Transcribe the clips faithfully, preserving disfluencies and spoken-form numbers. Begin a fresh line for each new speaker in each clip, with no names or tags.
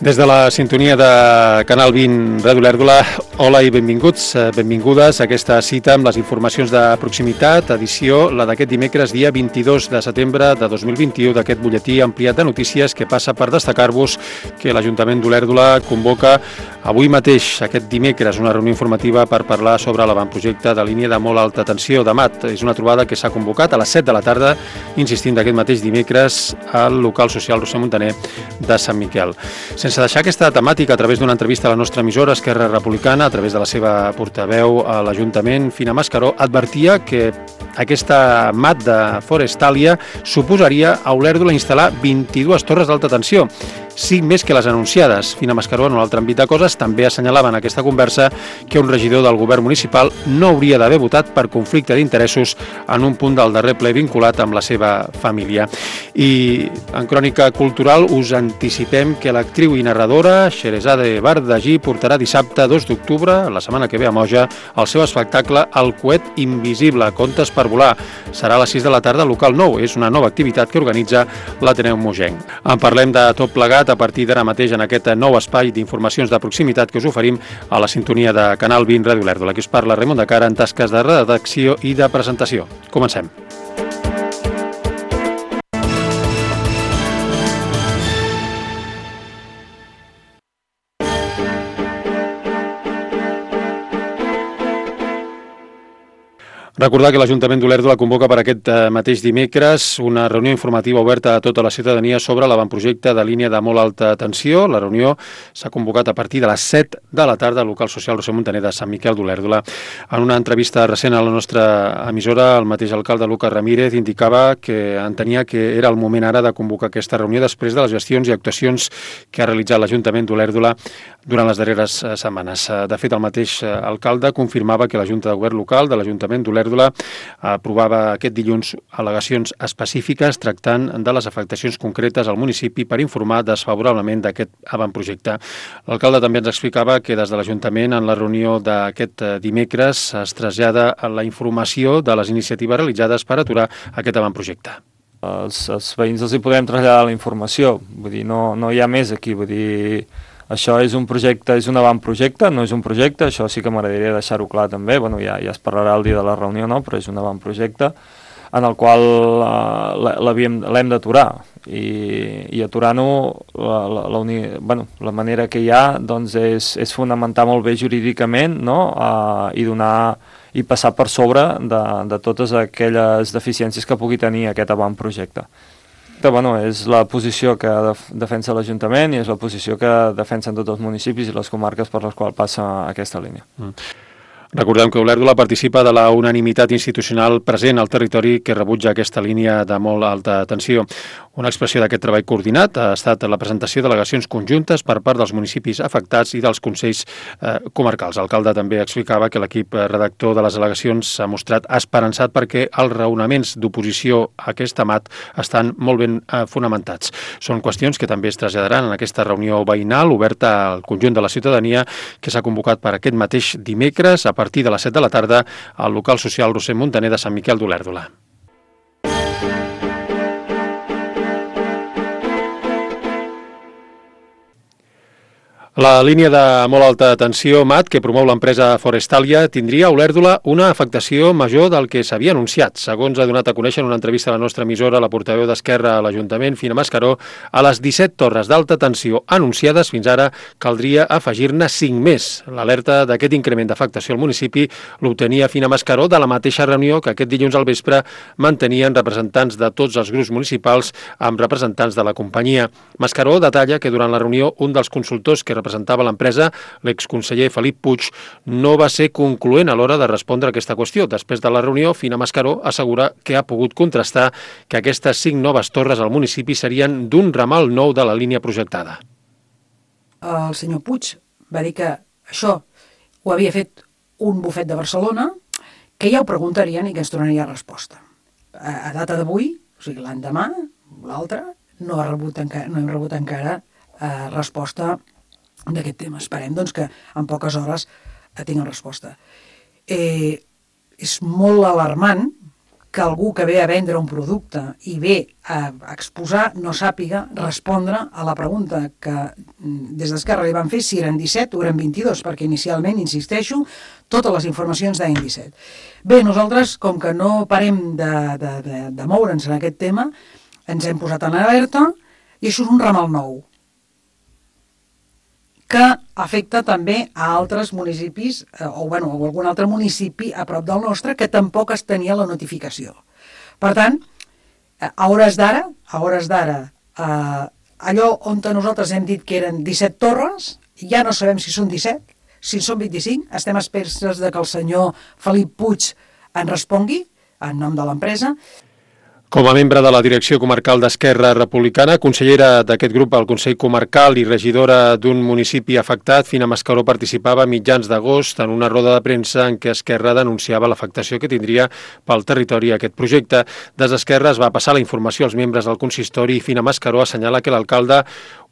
Des de la sintonia de Canal vint Ràdio Olèrdola, hola i benvinguts, benvingudes a aquesta cita amb les informacions de proximitat, edició la d'aquest dimecres, dia vint-i-dos de setembre de dos mil vint-i-u, d'aquest butlletí ampliat de notícies que passa per destacar-vos que l'Ajuntament d'Olèrdola convoca avui mateix, aquest dimecres, una reunió informativa per parlar sobre l'avantprojecte de línia de molt alta tensió de Mat. És una trobada que s'ha convocat a les set de la tarda, insistint d'aquest mateix dimecres, al local social Roser Montaner de Sant Miquel. Sense deixar aquesta temàtica, a través d'una entrevista a la nostra emissora Esquerra Republicana, a través de la seva portaveu a l'Ajuntament, Fina Mascaró, advertia que aquesta Mat de Forestalia suposaria a Olèrdola instal·lar vint-i-dues torres d'alta tensió, cinc més que les anunciades. Fina Mascaró, en un altre àmbit de coses, també assenyalava en aquesta conversa que un regidor del govern municipal no hauria d'haver votat per conflicte d'interessos en un punt del darrer ple vinculat amb la seva família. I en crònica cultural us anticipem que l'actriu i narradora Xerezade Bardagí portarà dissabte dos d'octubre, la setmana que ve a Moja, el seu espectacle El coet invisible, contes per volar. Serà a les sis de la tarda al local nou. És una nova activitat que organitza l'Ateneu Mogenc. En parlem de tot plegat a partir d'ara mateix en aquest nou espai d'informacions de proximitat que us oferim a la sintonia de Canal vint Ràdio Olèrdola. Aquí us parla Raimon de Cara en tasques de redacció i de presentació. Comencem. Recordar que l'Ajuntament d'Olèrdola convoca per aquest mateix dimecres una reunió informativa oberta a tota la ciutadania sobre l'avantprojecte de línia de molt alta tensió. La reunió s'ha convocat a partir de les set de la tarda al local social Roser Montaner de Sant Miquel d'Olèrdola. En una entrevista recent a la nostra emissora, el mateix alcalde Lucas Ramírez indicava que entenia que era el moment ara de convocar aquesta reunió després de les gestions i actuacions que ha realitzat l'Ajuntament d'Olèrdola durant les darreres setmanes. De fet, el mateix alcalde confirmava que la Junta de Govern Local de l'Ajuntament d'Olèrdola aprovava aquest dilluns al·legacions específiques tractant de les afectacions concretes al municipi per informar desfavorablement d'aquest avantprojecte. L'alcalde també ens explicava que des de l'Ajuntament en la reunió d'aquest dimecres es trasllada la informació de les iniciatives realitzades per aturar aquest avantprojecte.
Els, els veïns els hi podem traslladar la informació, vull dir, no, no hi ha més aquí, vull dir... Això és un projecte, és un avantprojecte, no és un projecte, això sí que m'agradaria deixar-ho clar també, bueno, ja, ja es parlarà el dia de la reunió, no? Però és un avantprojecte en el qual uh, l'hem d'aturar i, i aturant-ho la, la, la, uni, bueno, la manera que hi ha doncs és, és fonamentar molt bé jurídicament, no? uh, i donar i passar per sobre de, de totes aquelles deficiències que pugui tenir aquest avantprojecte. Bueno, és la posició que defensa l'Ajuntament i és la posició que defensen tots els municipis i les comarques per les quals passa aquesta línia.
Mm. Recordem que Olèrdola participa de la unanimitat institucional present al territori que rebutja aquesta línia de molt alta tensió. Una expressió d'aquest treball coordinat ha estat la presentació d'al·legacions conjuntes per part dels municipis afectats i dels consells eh, comarcals. L'alcalde també explicava que l'equip redactor de les al·legacions s'ha mostrat esperançat perquè els raonaments d'oposició a aquesta Mat estan molt ben eh, fonamentats. Són qüestions que també es traslladaran en aquesta reunió veïnal oberta al conjunt de la ciutadania que s'ha convocat per aquest mateix dimecres a partir de les set de la tarda al local social Roser Montaner de Sant Miquel d'Olèrdola. La línia de molt alta tensió Mat que promou l'empresa Forestalia tindria a Olèrdola una afectació major del que s'havia anunciat. Segons ha donat a conèixer en una entrevista a la nostra emissora la portaveu d'Esquerra a l'Ajuntament, Fina Mascaró, a les disset torres d'alta tensió anunciades fins ara caldria afegir-ne cinc més. L'alerta d'aquest increment d'afectació al municipi l'obtenia Fina Mascaró de la mateixa reunió que aquest dilluns al vespre mantenien representants de tots els grups municipals amb representants de la companyia. Mascaró detalla que durant la reunió un dels consultors que representava l'empresa, l'exconseller Felip Puig, no va ser concloent a l'hora de respondre a aquesta qüestió. Després de la reunió, Fina Mascaró assegura que ha pogut contrastar que aquestes cinc noves torres al municipi serien d'un ramal nou de la línia projectada.
El senyor Puig va dir que això ho havia fet un bufet de Barcelona, que ja ho preguntarien i que ens donaria resposta. A, a data d'avui, o sigui l'endemà, l'altre, no, ha rebut encara, no hem rebut encara eh, resposta d'aquest tema. Esperem doncs, que en poques hores eh, tinguin resposta. Eh, és molt alarmant que algú que ve a vendre un producte i ve a exposar no sàpiga respondre a la pregunta que des d'Esquerra li van fer si eren disset o eren vint-i-dos, perquè inicialment, insisteixo, totes les informacions deien disset. Bé, nosaltres, com que no parem de, de, de, de moure'ns en aquest tema, ens hem posat en alerta i això és un ramal nou que afecta també a altres municipis, o, bueno, o algun altre municipi a prop del nostre, que tampoc es tenia la notificació. Per tant, a hores d'ara, a hores d'ara, eh, allò on nosaltres hem dit que eren disset torres, ja no sabem si són disset, si són vint-i-cinc, estem esperes de que el senyor Felip Puig en respongui, en nom de l'empresa.
Com a membre de la direcció comarcal d'Esquerra Republicana, consellera d'aquest grup al Consell Comarcal i regidora d'un municipi afectat, Fina Mascaró participava a mitjans d'agost en una roda de premsa en què Esquerra denunciava l'afectació que tindria pel territori aquest projecte. Des d'Esquerra es va passar la informació als membres del consistori i Fina Mascaró assenyala que l'alcalde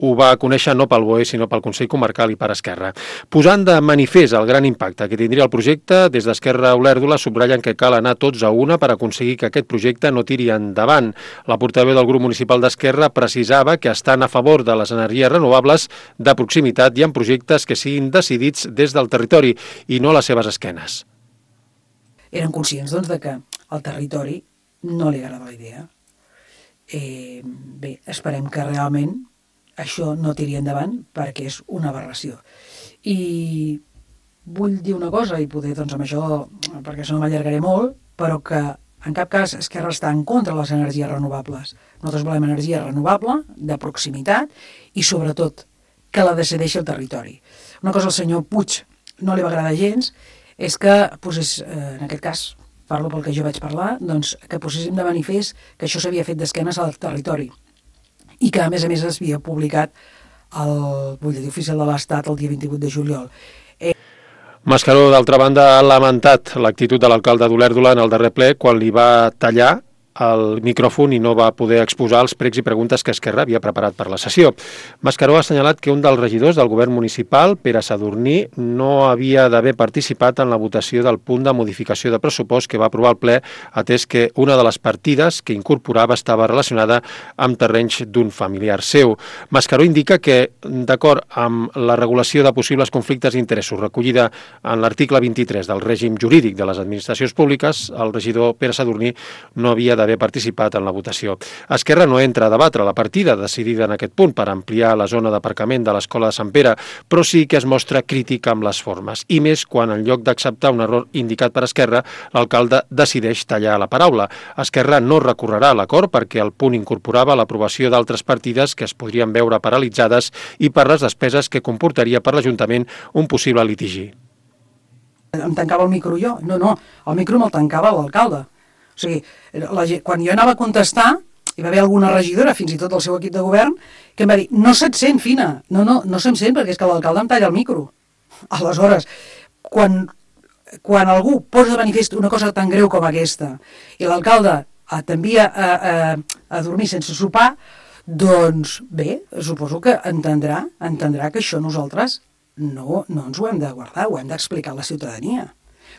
ho va conèixer no pel B O E, sinó pel Consell Comarcal i per Esquerra. Posant de manifest el gran impacte que tindria el projecte, des d'Esquerra Olèrdola subratllen que cal anar tots a una per aconseguir que aquest projecte no tiri endavant. La portaveu del grup municipal d'Esquerra precisava que estan a favor de les energies renovables de proximitat i en projectes que siguin decidits des del territori i no a les seves esquenes.
Eren conscients, doncs, de que al territori no li agrada la idea. Eh, bé, esperem que realment això no tiri endavant perquè és una aberració. I vull dir una cosa, i poder, doncs, amb això, perquè això no m'allargaré molt, però que en cap cas Esquerra està en contra de les energies renovables. Nosaltres volem energia renovable, de proximitat, i sobretot que la decideixi el territori. Una cosa al senyor Puig no li va agradar gens, és que posés, en aquest cas, parlo pel que jo vaig parlar, doncs que poséssim de manifest que això s'havia fet d'esquenes al territori i que, a més a més, es havia publicat al butlletí oficial de l'Estat el dia vint-i-vuit de juliol. Eh...
Mascaró, d'altra banda, ha lamentat l'actitud de l'alcalde d'Olèrdola en el darrer ple quan li va tallar el micròfon i no va poder exposar els pregs i preguntes que Esquerra havia preparat per la sessió. Mascaró ha assenyalat que un dels regidors del govern municipal, Pere Sadurní, no havia d'haver participat en la votació del punt de modificació de pressupost que va aprovar el ple, atès que una de les partides que incorporava estava relacionada amb terrenys d'un familiar seu. Mascaró indica que, d'acord amb la regulació de possibles conflictes d'interessos recollida en l'article vint-i-tres del règim jurídic de les administracions públiques, el regidor Pere Sadurní no havia d'haver participat en la votació. Esquerra no entra a debatre la partida decidida en aquest punt per ampliar la zona d'aparcament de l'Escola de Sant Pere, però sí que es mostra crítica amb les formes, i més quan en lloc d'acceptar un error indicat per Esquerra, l'alcalde decideix tallar la paraula. Esquerra no recorrerà a l'acord perquè el punt incorporava l'aprovació d'altres partides que es podrien veure paralitzades i per les despeses que comportaria per l'Ajuntament un possible litigi.
Em tancava el micro jo? No, no, el micro me'l tancava l'alcalde. O sigui, la, quan jo anava a contestar, hi va haver alguna regidora, fins i tot el seu equip de govern, que em va dir, no se't sent, Fina, no, no, no se'm sent perquè és que l'alcalde em talla el micro. Aleshores, quan, quan algú posa de manifest una cosa tan greu com aquesta i l'alcalde t'envia a, a, a dormir sense sopar, doncs bé, suposo que entendrà, entendrà que això nosaltres no, no ens ho hem de guardar, ho hem d'explicar a la ciutadania.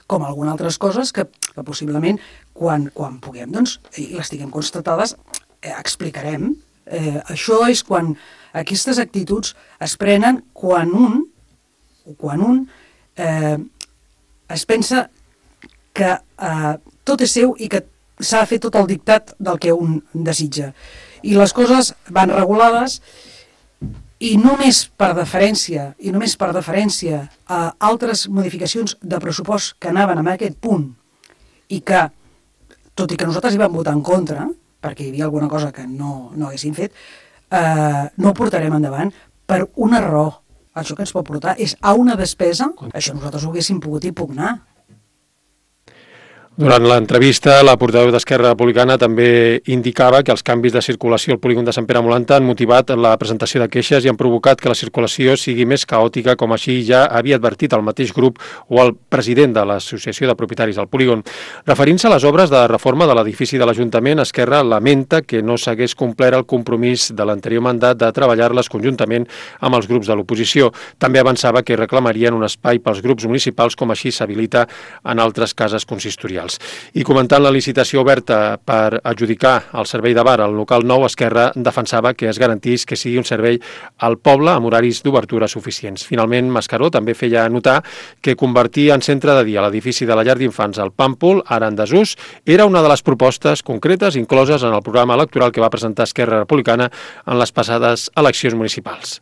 Com algunes altres coses que, que possiblement quan, quan puguem, doncs, i les tinguem constatades, eh, explicarem. Eh, això és quan aquestes actituds es prenen quan un, quan un eh, es pensa que eh, tot és seu i que s'ha de fer tot el dictat del que un desitja. I les coses van regulades i només per deferència, i només per deferència a altres modificacions de pressupost que anaven en aquest punt i que, tot i que nosaltres hi vam votar en contra, perquè hi havia alguna cosa que no, no haguessin fet, eh, no ho portarem endavant per un error. Això que ens pot portar és a una despesa, això nosaltres ho haguéssim pogut impugnar.
Durant l'entrevista, la portaveu d'Esquerra Republicana també indicava que els canvis de circulació al polígon de Sant Pere Molanta han motivat la presentació de queixes i han provocat que la circulació sigui més caòtica, com així ja havia advertit el mateix grup o el president de l'Associació de Propietaris del polígon. Referint-se a les obres de reforma de l'edifici de l'Ajuntament, Esquerra lamenta que no s'hagués complert el compromís de l'anterior mandat de treballar-les conjuntament amb els grups de l'oposició. També avançava que reclamarien un espai pels grups municipals, com així s'habilita en altres cases consistorials. socials. I comentant la licitació oberta per adjudicar el servei de bar al local nou, Esquerra defensava que es garantís que sigui un servei al poble amb horaris d'obertura suficients. Finalment, Mascaró també feia notar que convertir en centre de dia l'edifici de la llar d'infants al Pàmpol, ara en desús, era una de les propostes concretes incloses en el programa electoral que va presentar Esquerra Republicana en les passades eleccions municipals.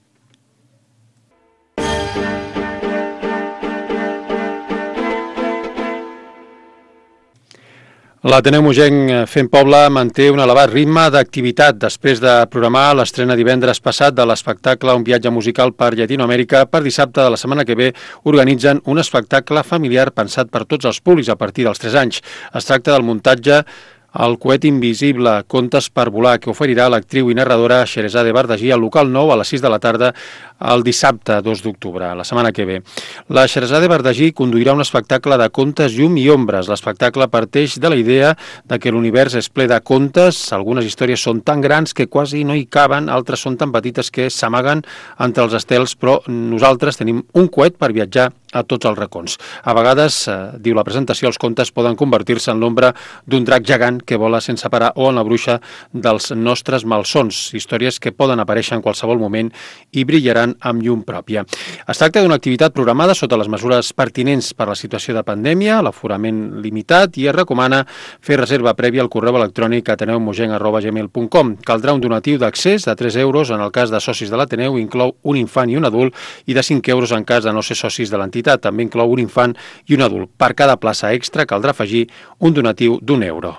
L'Ateneu Mogenc Fent Poble manté un elevat ritme d'activitat després de programar l'estrena divendres passat de l'espectacle Un viatge musical per Llatinoamèrica. Per dissabte de la setmana que ve organitzen un espectacle familiar pensat per tots els públics a partir dels tres anys. Es tracta del muntatge El coet invisible, contes per volar, que oferirà l'actriu i narradora Xeresade Bardagí al local nou a les sis de la tarda el dissabte dos d'octubre, la setmana que ve. La Xeresade Bardagí conduirà un espectacle de contes, llum i ombres. L'espectacle parteix de la idea de que l'univers és ple de contes. Algunes històries són tan grans que quasi no hi caben, altres són tan petites que s'amaguen entre els estels, però nosaltres tenim un coet per viatjar a tots els racons. A vegades, eh, diu la presentació, els contes poden convertir-se en l'ombra d'un drac gegant que vola sense parar o en la bruixa dels nostres malsons, històries que poden aparèixer en qualsevol moment i brillaran amb llum pròpia. Es tracta d'una activitat programada sota les mesures pertinents per la situació de pandèmia, l'aforament limitat, i es recomana fer reserva prèvia al correu electrònic ateneumogenc arroba gmail punt com. Caldrà un donatiu d'accés de tres euros en el cas de socis de l'Ateneu, inclou un infant i un adult, i de cinc euros en cas de no ser socis de l'entitat. També inclou un infant i un adult. Per cada plaça extra caldrà afegir un donatiu d'un euro.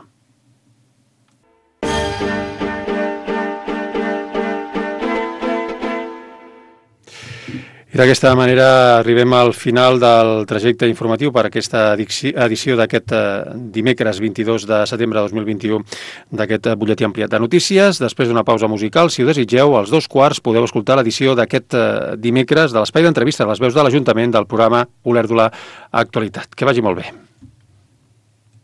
I d'aquesta manera arribem al final del trajecte informatiu per aquesta edició d'aquest dimecres vint-i-dos de setembre de dos mil vint-i-u d'aquest butlletí ampliat de notícies. Després d'una pausa musical, si ho desitgeu, als dos quarts podeu escoltar l'edició d'aquest dimecres de l'espai d'entrevista de les veus de l'Ajuntament del programa Olèrdola Actualitat. Que vagi molt bé.